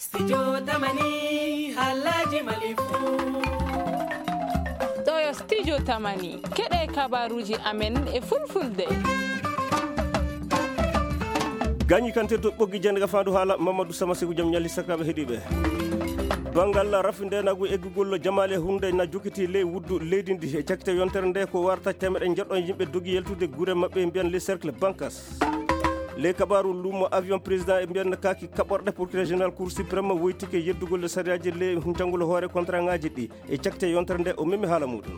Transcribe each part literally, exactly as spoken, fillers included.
Studio Tamani, halaji malifu. Ɗo yo Studio Tamani, keɗe kabaruji amen e fulfulde. Gañi kante to ɓoggi jande ka fandu haala Mamadou Sama Seku jam ñalli sakkaɓe heɗiɓe. Bangal rafi ndenagu eggugol jamaale hunde na jokiti ley wuddu leydi ndi e cakite yontere nde ko warta temeɗe jeɗɗo yimɓe dogi yeltude gure maɓɓe mbiyan les cercles bancas. Ley kabaru lumo avion président e mbiyan kaaki kaɓorɗe procureur général cour suprême woytike yeddugol sariyaji ley jangol hoore contrat ngaji ɗi e cakite yontere nde o memi haala muɗum.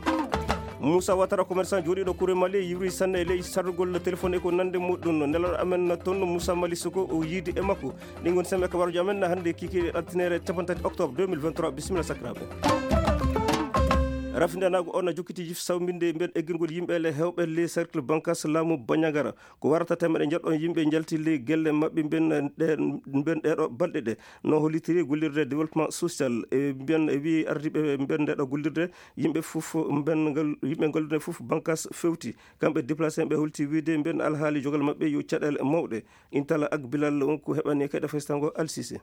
Moussa Ouattara, commerçant jooɗiiɗo Kure Mali, yiwri sanne e ley sarrugol téléphone e ko nande muɗum. Nelal amen toon Moussa Mali Soko o yiidi e makko. Ɗi ngoni sembe kabaruji amen hannde kikiiɗe altine capanɗe tati octobre deux mille vingt-trois. Bisimilla sakiraaɓe. Rafindanaagu on na jokkiti jif sawminde mben eggirgol yimɓe le hewɓe le cercle bancas laamu Bandiagara. Ko warata temeɗe njeɗɗon yimɓe njalti le gelle maɓɓe mben ɗe, mben ɗeɗo balɗe ɗe. No hollitiri gollirde développement social e mbiyan e wi ardiɓe mben ndeɗo gollirde yimɓe fof mben ngal, yimɓe gollirde fof bancas fewti. Kamɓe déplacé ɓe holti wiide mben alhaali jogal maɓɓe yo caɗele mawɗe. Intala ak Bilal on ko heɓani kayɗe festango Alsise.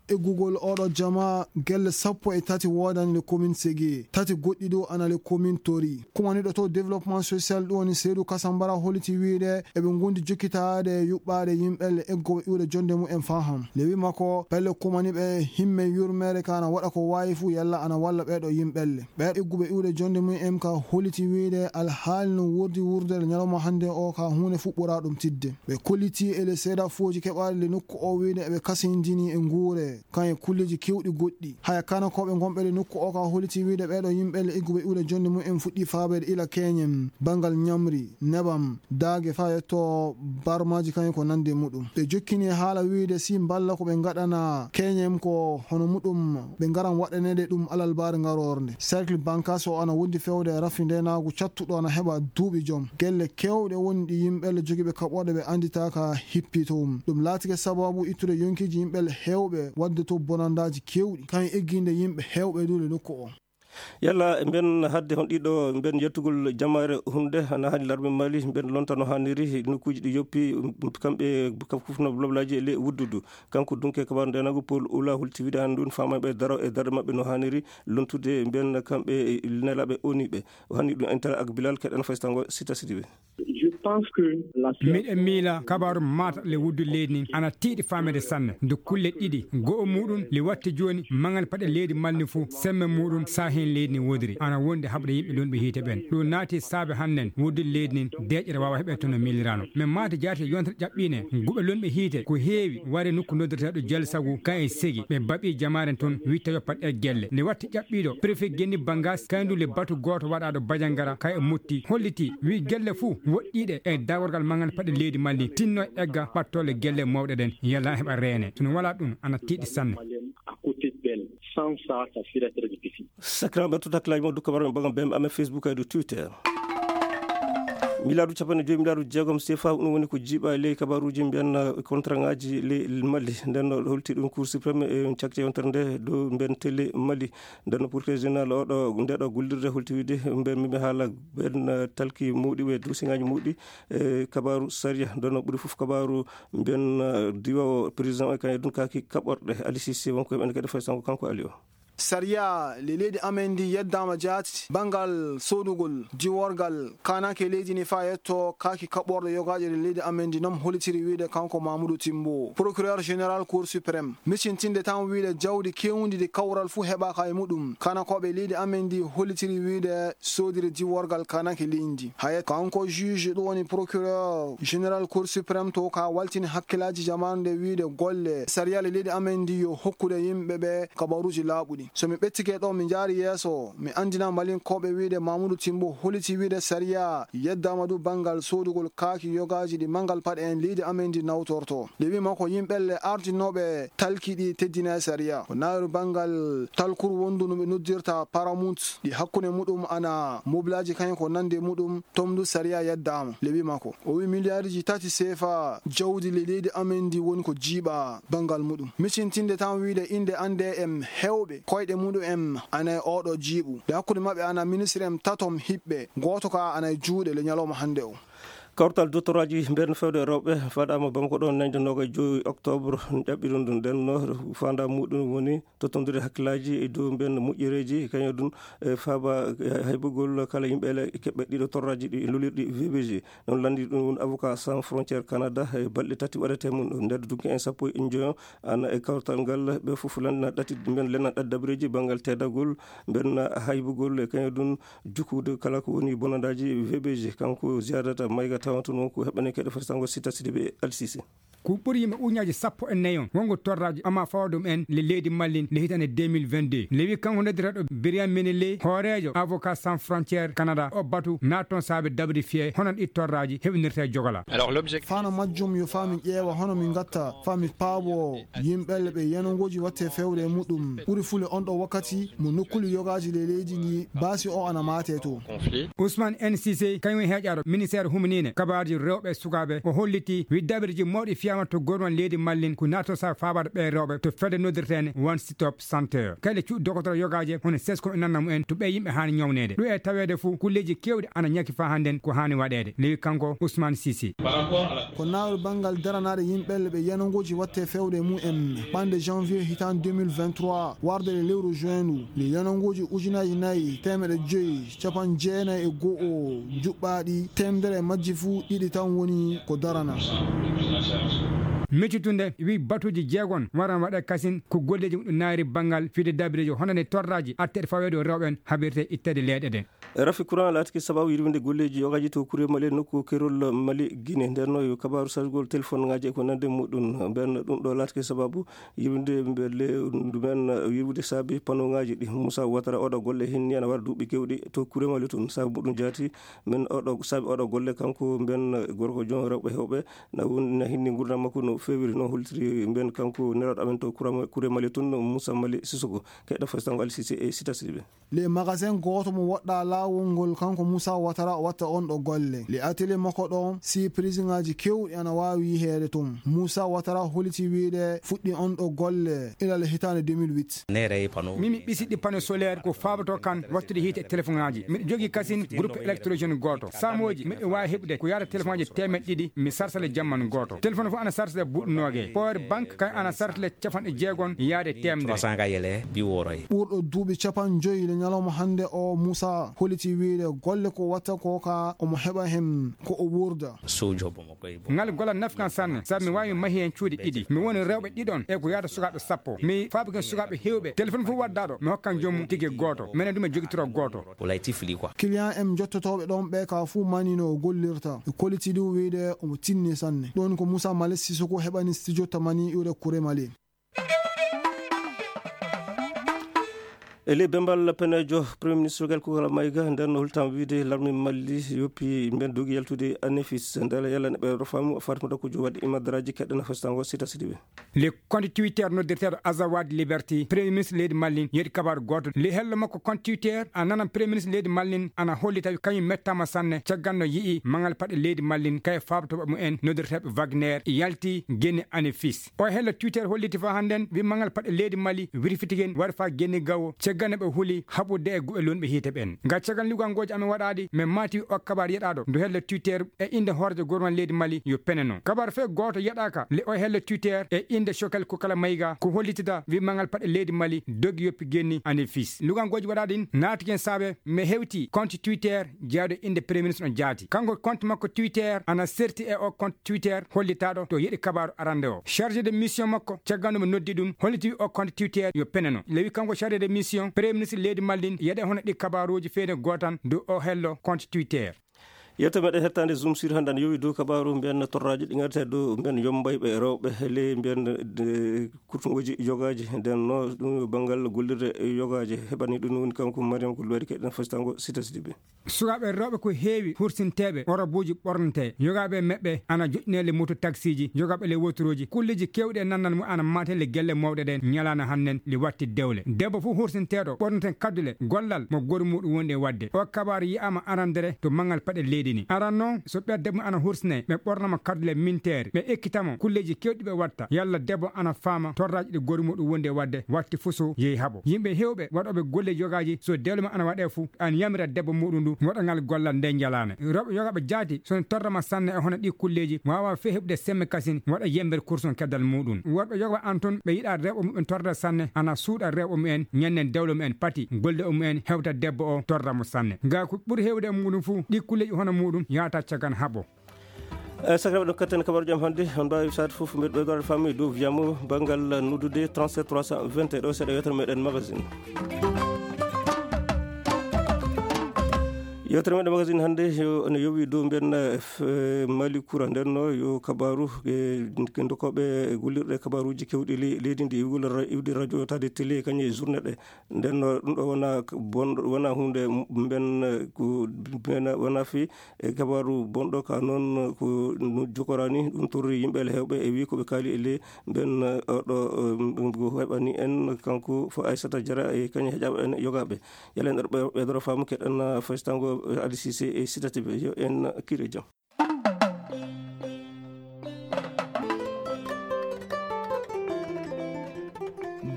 Eggugol oɗo jama gelle sappo e tati woodani le commune Ségué, tati goɗɗi ɗo ana le commune Tori. Kumaniɗo to développement social ɗum woni Seydou Kasambara holiti wiide eɓe gondi jokkitaade yuɓɓaade yimɓe le eggoɓe iwde jonde mumen faham. Le wi makko pelle kumaniɓe himme yurmeere ka ana waɗa ko waawi fuu yalla ana walla ɓeɗo yimɓe le. Ɓeɗo egguɓe iwde jonde mumen ka holiti wiide alhaali no wurdi wurdere ñalawma hannde o ka huunde fuɓɓora ɗum tidde. Ɓe kolliti e le seeɗa fooji keɓaali le nokku o wiide eɓe kasindini e nguure kan e kulleji kewɗi goɗɗi. Haya kana ko ɓe gonɓe le nokku o ka holiti wiide ɓeɗo yimɓe le egguɓe iwde jonde mumen fuɗɗi faabeede ila keñem, bangal ñamri, nebam, daage fa yetto barmaji kan e ko nande muɗum. Ɓe jokkini haala wiide si mballa ko ɓe ngaɗana keñem ko hono muɗum ɓe ngaran waɗanede ɗum alal baare ngarorde. Cercle bancas o ana wondi fewde e rafi ndenagu cattuɗo ana heɓa duuɓi joom. Gelle kewɗe woni ɗi yimɓe le jogiiɓe kaɓorɗe ɓe anditaka hippi to mum. Ɗum laatike sababu ittude yonkiji yimɓe le hewɓe wadde to bonandaji kewɗi. Kan egginde yimɓe hewɓe du le nokku o. Yalla mben hadde hon ɗiɗo mben yettugol jamaare hunde hana hani larme Mali mben lontano haniri nokkuji ɗi yoppi kamɓe kafkufno loblaji e le wuddudu. Kanko dunke kabaru ndenagu Paul Oula holti wiide han ɗum famaɓe daro e darɗe maɓɓe no haniri lontude mben kamɓe nelaɓe oniɓe. O hani ɗum intala ak Bilal keɗen faystango sita sidiɓe. Je pense que la miɗen miila kabaru mata le wuddu leydi nin ana tiiɗi famede sanne nde kulle ɗiɗi go'o muɗum le watti joni maŋal paɗe leydi malni fuu semme muɗum sa hen leydi ni wodiri ana wonde haɓde yimɓe lonɓe hiite ɓen ɗum naati saabe hannen wuddu leydi nin deƴƴere wawa heɓe tono milirano. Men mata jaati yontere ƴaɓɓine guɓe lonɓe hiite ko heewi ware nokku noddirteɗo jal sagu kan e segi ɓe baɓi jamaren toon witta yoppat e gelle nde watti ƴaɓɓiɗo préfet genni bangas kayndu le batu goto waɗaɗo bajangara kay e motti holliti wi gelle fuu woɗɗiɗe e dagorgal magal paɗe leydi malli tinno e egga ɓattole gelle mawɗe ɗen yalla heɓa reene sono wala ɗum ana tiiɗi sanne. Sakiraɓe ɓe tuta claji mo dukka barɓe ɓagam bemɓe amen facebook e dow twitter. Miliyaaru capanɗe joyi miliyaaru jeegom sefa ɗum woni ko jiiɓa e ley kabaruuji mbiyan contrat ngaji ley malli nden no holti ɗum cour suprême e cakte yontere nde dow mbiyan télé malli. Nden no procureur général oɗo ndeɗo gollirde holti wiide mbiyan mimi haala ɓen talki mawɗi ɓe dossier ngaji mawɗi e kabaru saria nden no ɓuri fof kabaru mbiyan diwa o président o e kañe ɗum kaki kaɓorɗe ali sisi wonko heɓene kadi fay sango kanko ali o. Sariya le leydi amen ndi yeddama jaati bangal sodugol diworgal kanake leydi ni fa yetto kaki kaɓɓorɗo yogaƴo le leydi amen ndi nom holitiri wiide kanko mamoudou timbo procureur général cour suprême micintinde tan wiide jawdi kewndi ndi kawral fuu heɓaka e muɗum kanakoɓe leydi amen ndi holitiri wiide sodiri diworgal kanake leydi ndi haya kanko juge ɗum woni procureur général cour suprême to ka waltini hakkillaji jamaanu nde wiide golle sariya le leydi amen ndi yo hokkude yimɓe ɓe kabaruuji laaɓuɗi. So mi ɓettike ɗo, mi njaari yeeso, mi anndina Malinkooɓe wiyde Mamuudu Timbo holiti wiyde sariya yeddaama du banngal soodugol kaaki yogaaji ɗi manngal paɗe en leydi amen ndi nawtortoo. Nde wi'maa ko yimɓelle ardinooɓe talki ɗi teddinaa e sariya. Ko naawiru banngal talkuru wondu no ɓe noddirta Paramount, ɗi hakkunde muɗum ana mobilaaji kañum ko nande muɗum, toon du sariya yeddaama. Nde wi'maa ko o wi'i miliyaariji tati seefa jawdi le leydi amen ndi woni ko jiiɓaa banngal muɗum. Micintinde tan wiyde innde annde em heewɓe koyɗe muɗum em ana e ooɗoo jiiɓu. Nde hakkunde maɓɓe ana ministre em tatom hiɓɓe, gooto ka ana e juuɗe le ñalawma hannde o. Kawtal dottoraaji mbernde fewde e rewɓe faɗaama Bamako ɗo ñande noogay joyi octobre. Ɗaɓɓiɗum ɗum ɗen no faanda muɗum woni tottondude hakkillaaji e dow mbernde moƴƴereeji, kañum ɗum e faaba e haybugol kala yimɓe ele keɓɓe ɗiɗo torraaji ɗi lolirɗi V B G. Ɗum lanndi ɗum woni Avocat Sans Frontières Canada e balɗe tati waɗete mum nder dunki en sappo e njoyo. Ana e kawtal ngal ɓe fof lanndina ɗati mben lenna ɗat dabreeji banngal teddagol, mben haybugol e kañum ɗum jukkude kala ko woni bonandaaji V B G. Kanko Ziyadata Mayga tawanto noon ko heɓɓanee keɗe foti tango Sita Sidibe e Alsise. Ko ɓuri yimɓe ujunnaaji sappo e nayi on wongo torraaji ama fawa ɗum en le leydi Mallin le hitande deux mille vingt-deux. Le wi kanko noddiraaɗo Birian Menele, hooreejo Avocat Sans Frontières Canada, o batu naton saabe dabri fiye hono ɗi torraaji heɓinirta e jogola. Fano majjum yo fami ƴeewa hono mi gatta fami paabo yimɓelle ɓe yenongoji watte fewre e muɗum ɓuri fule on ɗo wakkati mo nokkuli yogaji le leydi ndi baasi o ana mate to. Ousmane N C C kañum heƴaɗo ministère huminine kabaruji rewɓe e sukaɓe, o holliti wi dabirji mawɗi fiyama to gorwan leydi Mallin ko nato sa fabaɗo ɓe rewɓe to fedde noddirtene One Stop Center. Kayɗe cuuɗi dogotoro yogaje hono sesko e nanna mumen to ɓe yimɓe hani ñawnede ɗo e tawede fo kulleji kewɗi ana ñaki fa hannden ko hani waɗede, lewi kanko Ousmane Sisi. Ko nawri banngal daranaade yimɓelle ɓe yenongoji watte fewde e mumen ɓande janvier hitan deux mille vingt-trois warde le lewru juin ndu le yenongoji ujunaji nayi temeɗe joyi capan jeenayi e go'o juɓɓaɗi temdere e majji fuu ɗiɗi tan woni ko darana. Miccitunde wi batuji jeegon waran waɗa kasin ko golleji muɗum naari banngal fide dabireji honande torraji atteɗe faweede o rewɓen haɓirte ittede leeɗe ɗe. Rafi courant laatike sababu yirwinde golleeji yogaji to kure mali nokku kerol mali guine nden no yo kabaru sargol téléphone ngaji e ko nande muɗum. Nden ɗum ɗo laatike sababu yirwinde mbele ndumen yirwude saabi pano ngaji ɗi musa watara oɗo golle hinni ana waɗa duuɓi kewɗi to kure mali tun sabu muɗum jaati. Men oɗo saabi oɗo golle kanko mben gorko jon rewɓe hewɓe na won na hinni ngurdam makko no fewiri no holtiri mben kanko neraɗo amen to kure mali tun musa mali sisoko keɗɗo fasitango alsisi e sita siɓe. Le magasin gooto mo woɗɗa laawol ngol kanko Moussa Ouattara o watta on ɗo golle. Le atelier makko ɗon si prisiŋaaji kewɗi ana waawi yiheede ton. Moussa Ouattara holiti wiide fuɗɗi on ɗo golle ila le hitaande deux mille huit. Min mi ɓisiɗɗi panneau solaire ko faabato kan wattude hiite e téléphone ŋaaji. Miɗo jogii kasin groupe électrogène gooto. Saamooji miɗo waawi heɓude ko yaata téléphone ŋaaji teemeɗɗe ɗiɗi mi sarsa le jamman gooto. Téléphone fof ana sarsa le buuɗu nooge. Power bank kay ana sarsa le capanɗe jeegon yaade teemedere. Ɓurɗo duuɓi capanɗe joyi le ñalawma hannde o Moussa holiti wiide golle ko watta ko ka omo heɓa hen ko o wuurda. Ngal golla nafkan sanne sabu mi waawi mahi hen cuuɗi ɗiɗi mi woni rewɓe ɗiɗon e ko yaata sukaaɓe sappo mi faabaken sukaaɓe heewɓe téléphone fof waddaɗo mi hokkan joomum tigi gooto minen ɗum e jogitoro gooto. Client en jottotooɓe ɗon ɓe ka fuu manino o gollirta e koliti ɗum wiide omo tinni sanne ɗon ko Moussa Malick Sissoko heɓani studio tamani iwde kure mali. E ley bembal penejo premier ministre gal kugal mayga nden no holtam wiide larmi malli yoppi mben dogi yaltude anefis ndela yalla ne ɓe rofamu fatima dokko jo waɗi imadraji keɗɗana fastango sita sidiɓe. Le compte twitter noddirteeɗo azawad liberty premier ministre leydi mallin yeɗi kabaru goto le hello makko compte twitter a nanan premier ministre leydi mallin ana holli tawi kañum mettama sanne cagganno yi'i mangal paɗe leydi mallin kay fabtoɓe mumen noddirteeɓe wagner yalti geni anefis. O hello twitter holliti fa hannden wi mangal paɗe leydi mali wirfitigen waɗa fa genni gawo ceggane ɓe huli haɓude e guɓe lunɓe hiite ɓen. Nga cegan ligangoji amen waɗaɗi min mati o kabar yeɗaɗo ndu hello twitter e inde horejo gouvernement leydi mali yo peneno kabar fe goto yeɗaka le o hello twitter e inde shokel ko kala mayga ko hollitida wi mangal paɗe leydi mali dogi yoppi genni anefis lugangoji waɗaɗin natigen saabe mi hewti compte twitter jeyaaɗo innde premier ministre on jaati kanko compte makko twitter ana serti e o compte twitter hollitaaɗo to yeɗi kabaaru arande o chargé de mission makko cagganɗo mo noddi ɗum holliti o compte twitter yo peneno lewi kanko chargé de mission premier ministre leydi mallin yeɗe hono ɗi kabaaruuji feede gootan dow o hello compte twitter. Yewte meɗen hettande zoom sur hannde ana yowi dow kabaaru mbiyan torraji ɗi ngarta dow mbiyan yombayɓe rewɓe ley mbiyan kurtungoji yogaji nden no ɗum banngal gollirde yogaji heɓani ɗum woni kanko mariam ko luwari keɗen fasitango sita sidiɓe. Sukaaɓe rewɓe ko heewi hursinteeɓe orobuuji ɓornete yogaaɓe e meɓɓe ana joƴƴineele moto taksiiji yogaaɓe le wotorooji kulleeji keewɗi e nannal mum ana maten le gelle mawɗe ɗen ñalaana hannden le watti dewle debbo fof hursinteeɗo ɓorneten kaddule gollal mo goru muɗum wonde e waɗde o kabaaru yi'aama arandere to manngal paɗe leydi. Aran noon, so ɓeya debbo ana hursine, ɓe ɓornama kaddule minteere, ɓe ekkitamo kulleeji kewɗi ɓe watta. Yalla debbo ana faama torraaji ɗi goori muɗum wondi e waɗde, watti fuso yehi haɓo. Yimɓe heewɓe waɗooɓe golle yogaaji, so dewle ma ana waɗe fuu, ana yamira debbo muɗum ndu waɗa ngal gollal nde njalaane. Rewɓe yogaaɓe jaati, so ne torrama sanne e hono ɗi kulleeji, waawa fee heɓude semme kasin, waɗa yemmbere kursun keddal muɗum. Worɓe yogaaɓe an toon, ɓe yiɗa rewɓe muɓɓen torrata sanne, ana suuɗa rewɓe mumen, ñannen dewle mumen pati, golle mumen hewta debbo o torra mo sanne. Ngaa ko ɓuri heewde e muɗum fuu, ɗi kulleeji hono muɗum yaata cagan haɓo. E sakiraɓe ɗo kattani kabaru jam hannde, on mbaawi saat fof mbeɗa ɓeydoraade famille dow wiyamo banngal noddude trente-sept trois cent vingt e ɗo seeɗa yewtere meɗen magazine. Yewtere meɗen magazine hannde yo ene yowi dow mbiyen, eh, f-, eh, Mali kura nden no yo kabaru, eh, ndokoɓe gollirɗe kabaruji kewɗi le-, leydi ndi iwde ra-, iwde radio tade télé kañum e journée ɗe. Nden no ɗum ɗo wona k-, bonɗo, wona hunde m-, mben, eh, ko mben wona fi e kabaru bonɗo ka noon ko no jokorani ɗum torri yimɓe ele hewɓe e wi ko ɓe kaali e le mben, eh, ɗo, eh, ko heɓani en kanko fo Aissata Diarra e kañum heƴaɓe en yogaɓe. Yalla en ɗo ɓe, ɓe ɗo faamu keɗen, eh, faystango, eh, Ali Cissé e Sita T V yo en kire jam.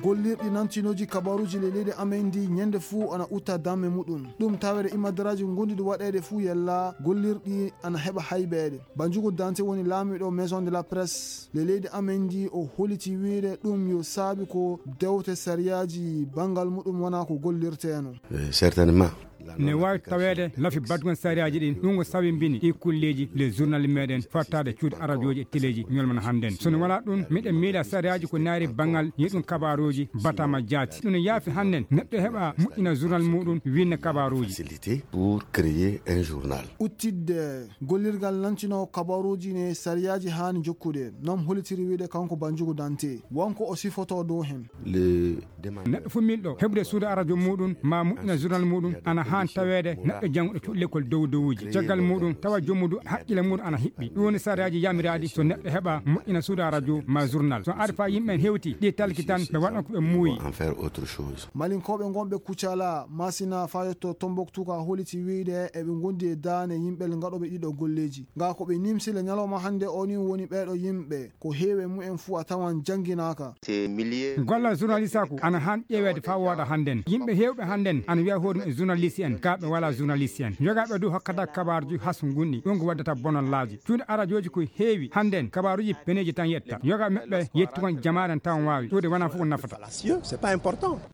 Gollirɗi nantinooji kabaruuji le leydi amen ndi ñande fuu ana utta damme muɗum. Ɗum tawere imadaraaji ngonduɗi waɗeede fuu yalla gollirɗi ana heɓa haybeede. Banjugu Dante woni laamiiɗo Maison de la Presse le leydi amen ndi, o holiti wiide ɗum yo saabi ko dewte sariyaaji banngal muɗum wona ko gollirteeno. Eh, certainement. Ne waawi taweede lafi baɗgol sariyaaji ɗin, ɗum ko sabimbini ɗi kulleeji le journal meɗen fattaade cuuɗi arajooji e teleeji ñolmana hannden. So ne walaa ɗum, miɗen miila sariyaaji ko naari banngal yeɗum kabaruuji batama jaati. Ɗum ne yaafi hannden neɗɗo heɓa moƴƴina journal muɗum, winna kabaruuji. Facilité pour créer un journal. Uttidde gollirgal nantinoo kabaruuji ne sariyaaji haani jokkude, non holitiri wiide kanko Banjugu Dante. Wonko o sifotoo dow hen. Le Neɗɗo fof miilɗo heɓude suudu arajo muɗum ma moƴƴina journal muɗum, ana haan taweede neɗɗo jannguɗo cuuɗi lekkol dow dowuji. Caggal muɗum tawa joomudu haqqille muɗum ana hiɓɓi. Ɗum woni sariyaaji yamiraaɗi so neɗɗo heɓa moƴƴina suudu arajo ma journal. So ari fa yimɓe en hewti ɗi talki tan, ɓe waɗan ko ɓe muuyi. En faire autre chose. Malinkooɓe ngonɓe Kucala, Masina, faa yetto Tombouctou ka holiti wiide eɓe ngondi e daane yimɓe ngaɗooɓe ɗiɗo golleeji. Nga ko ɓe nimsi le ñalawma hannde o ni woni ɓeeɗo yimɓe. Ko heewi e mumen fuu a tawan jannginaaka. Gollal journalisaaku ana haan ƴeeweede faa wooɗa hannden. Yimɓe heewɓe hannden ana wiya hoore mum e journaliste en, kaa ɓe walaa journaliste en. Yogaaɓe du hokkata kabaaruuji has ngunɗi, ɗum ko waddata bonallaaji. Cuuɗi arajooji ko heewi hannden, kabaaruuji peneeji tan yetta. Yogaaɓe maɓɓe yetti kon jamaare en tawan waawi. Ɗuuɗe wonaa fof ko nafata.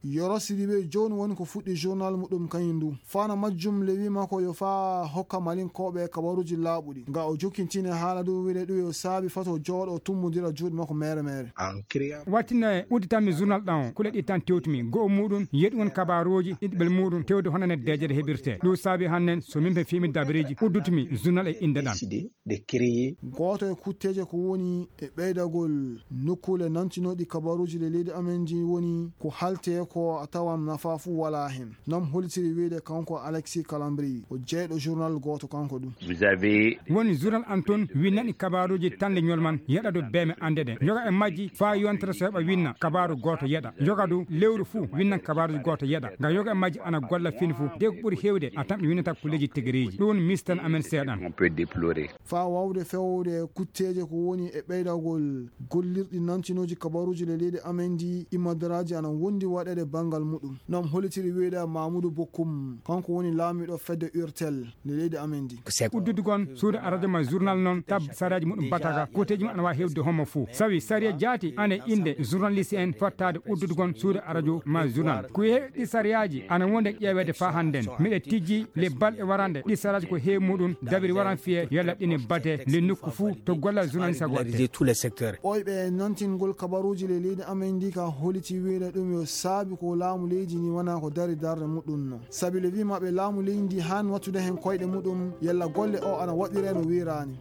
Yoro Sidibe jooni woni ko fuɗɗi journal muɗum kañum du. Fana majjum le wiima ko yo faa hokka Malinkooɓe kabaruuji laaɓuɗi. Nga o jokkintini haala dow wiide ɗum yo saabi fato jooɗo tummodira juuɗe makko meere meere. Wattinne udditanmi journal ɗan o, kule ɗi tan tewtumi. Go'o muɗum, yeɗugol kabaruuji, ɗiɗɓel muɗum, tewde honande deeƴere heɓirte. Ɗum saabi hannden, so min ɓe fiimi dabareeji, uddutumi journal e innde ɗan. Gooto e kutteeje ko woni e ɓeydagol nokkuule nantinooɗi kabaruuji le leydi amen ndi woni ko haalte ko a tawan nafa fuu walaa hen. Nam holitiri wiide kanko Alexis Calambri, o jeyɗo journal gooto kanko ɗum. Woni journal an toon winnani kabaruuji tan le ñol man yeɗa du beeme annde ɗen. Yoga e majji faa yontere so heɓa winna kabaaru gooto yeɗa. Yoga du lewru fuu winnan kabaaruuji gooto yeɗa. Nga yoga e majji ana golla fini fuu. De ko ɓuri heewde a tamƴi winnata ko leji tigiriiji. Ɗum woni mistan amen seeɗan. Faa waawde fewde kutteeje ko woni e ɓeydagol gollirɗi nantinooji kabaruuji le leydi amen ndi, imadaraaji ana wondi waɗeede banngal muɗum. Nam holitiri wiide Mamudu Bokum, kanko woni laamiiɗo fedde Urtel le leydi amen ndi. Uddudugon suudu arajo ma journal noon tab sariyaaji muɗum bataka, kutteeji mum ana waawi heewde homo fuu. Sawi sariya jaati ana e innde journaliste en fottaade uddudugon suudu arajo ma journal. Ko heewi ɗi sariyaaji ana wonde ƴeeweede faa hannden. Miɗe tijji le balɗe warande ɗi sariyaaji ko heewi muɗum dabiri waran fiye yalla ɗine bate le nokku fuu to gollal journaliste waɗte. Oyɓe nantingol kabaruuji le leydi amen ndi ka holiti wiide ɗum yo saabi ko laamu leydi ni wona ko dari darde muɗum no. Sabi le wi maɓɓe laamu leydi ndi haan wattude heen koyɗe muɗum yalla golle o ana waɗire no wiiraani.